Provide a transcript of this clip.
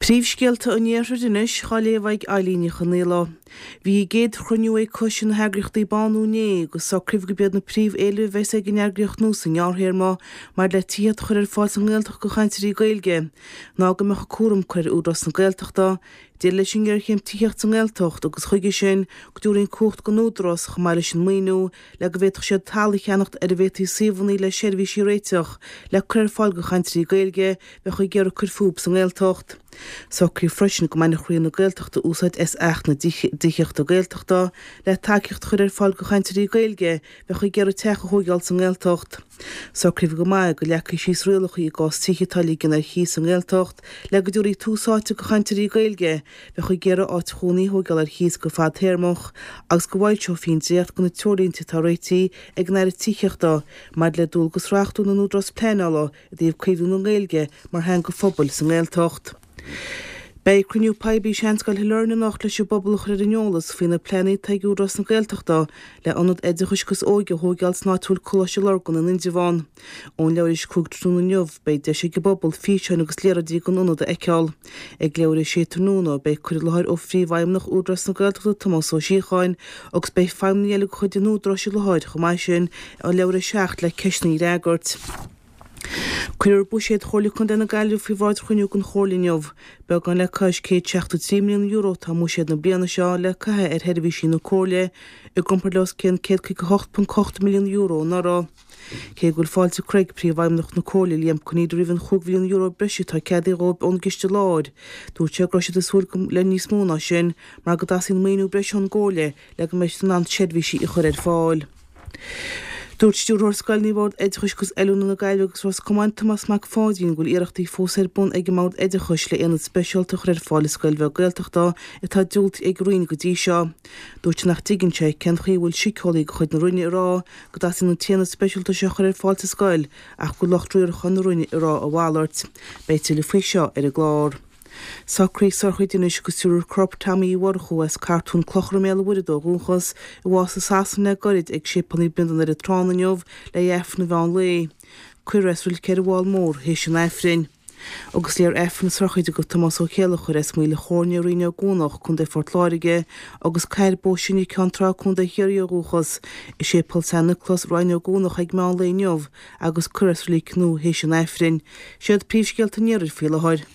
Príomhscéalta an Iarthair anois á léamh ag Eilín Ní Chonaola. Bhí a gcéad chruinniú ag Coiste na hEagraíochtaí Bánú inné agus socraíodh gurb iad na príomh-éilimh a bheas ag an eagraíocht nua sa ngearrthéarma maidir le tithíocht a chur ar fáil sa nGaeltacht do chainteoirí Gaeilge ná go mbeadh an cúram curtha ar Údarás na Gaeltachta deireadh leis an ngéarchéim tithíochta sa nGaeltacht agus chuige sin go dtabharfaí an cumhacht don Údarás chomh maith leis an maoiniú le go bhféadfadh siad talamh a cheannacht ar a bhféadfaí suíomhanna le seirbhísí a réiteach le cur ar fáil do chainteoirí Gaeilge bheadh ag iarraidh cur fúthu sa nGaeltacht. Socraíodh freisin go mbainfeadh Roinn na Gaeltachta úsáid as Acht na dTithíochta Gaeltachta le tacaíocht a chur ar fáil do chainteoirí Gaeilge bheadh ag iarraidh teach a thóigeáil sa nGaeltacht. Socraíodh chomh maith go leagfaí síos rialacha i gcás tithe atá á ligean ar chíos sa nGaeltacht le go dtabharfaí tús áite do chainteoirí Gaeilge bheadh ag iarraidh áit chónaí a thóigeáil ar chíos go fadtéarmach agus go bhfoilseofaí an dréacht de na treoirlínte atá réitithe ag an Aire Tithíochta maidir le dualgas reachtúil na n-údarás pleanála i dtaobh caomhnú na Gaeilge mar theanga phobail sa nGaeltacht. Beidh cruinniú poiblí i Seanscoil Shailearna anocht leis an bpobal a chur ar an eolas faoi na pleananna atá ag Údarás na Gaeltachta le ionad oideachais agus óige a thóigeáil san áit a bhfuil Coláiste Lurgan in Indreabhán. Ón leathuair théis 5 tráthnóna inniu beidh deis ag an bpobal físeáin agus léaráidí den ionad a fheiceáil. Ag leathuair théis 6 tráthnóna beidh cur i láthair ó Phríomhfheidhmeannach Údarás na Gaeltachta Tomás Ó Síocháin agus beidh feidhmeannaigh eile de chuid an Údaráis i láthair chomh maith sin ó leathuair théis 7 le ceisteanna a fhreagairt. Cuirfear buiséad Chomhairle Contae na Gaillimhe faoi bhráid chruinniú den Chomhairle inniu. Beagán le cois €173 milliún atá i mbuiséad na bliana seo le caitheamh ar sheirbhísí na Comhairle, i gcomparáid le os cionn €158.8 milliún anuraidh. Cé go bhfuil fáilte curtha ag Príomhfheidhmeannach na Comhairle, Liam Conneely roimh an €5 mhilliún breise atá ceadaithe dhóibh ón gCiste Láir, dúirt sé go raibh siad ag súil le níos mó ná sin mar go dteastaíonn maoiniú breise ón gComhairle le go mbeidh siad in ann seirbhísí a chur ar fáil. Dúirt Stiúrthóir Scoileanna Bhord Oideachais agus Oiliúna na Gaillimhe agus Ros Comáin, Tomás Mac Pháidín, go bhfuil iarrachtaí fós ar bun ag an mBord Oideachais le aonad speisialta a chur ar fáil i scoil bheag Gaeltachta atá diúltaithe ag an Roinn go dtí seo. Dúirt sé nach dtuigeann sé cén chaoi a bhfuil síceolaí de chuid na Roinne ag rá go dteastaíonn an t-aonad speisialta seo a chur ar fáil sa scoil ach go bhfuil lucht riaracháin na Roinne ag rá a mhalairt. Beidh tuilleadh faoi seo ar an gclár. Socruithe Sorcha anois agus triúr corp Tommy Uí Mhurchú as Cartún Clochar i mBéal an Mhuirthead ó dhúchas, i bhás i Sasana le goirid ag Séipéal Naomh Brendan i nDoire Tránna inniu le haghaidh Aifreann an mheán lae. Cuirfear é sa reilig ar an bhFál Mór théis an Aifrinn. Agus léifear Aifreann na sochraide do Tomás Ó Céileachair as Maoil a' Chóirne i Rinn Ó gCuanach, Co. Phort Láirge, agus Cathair Bó Sine Ceann Trá, Co. Chiarraí ó dhúchas, i Séipéal San Nioclás, Rinn Ó gCuanach ag meán lae inniu agus cuirfear é sa reilig nua théis an Aifrinn. Siad príomhscéalta an Iarthair faoi láthair.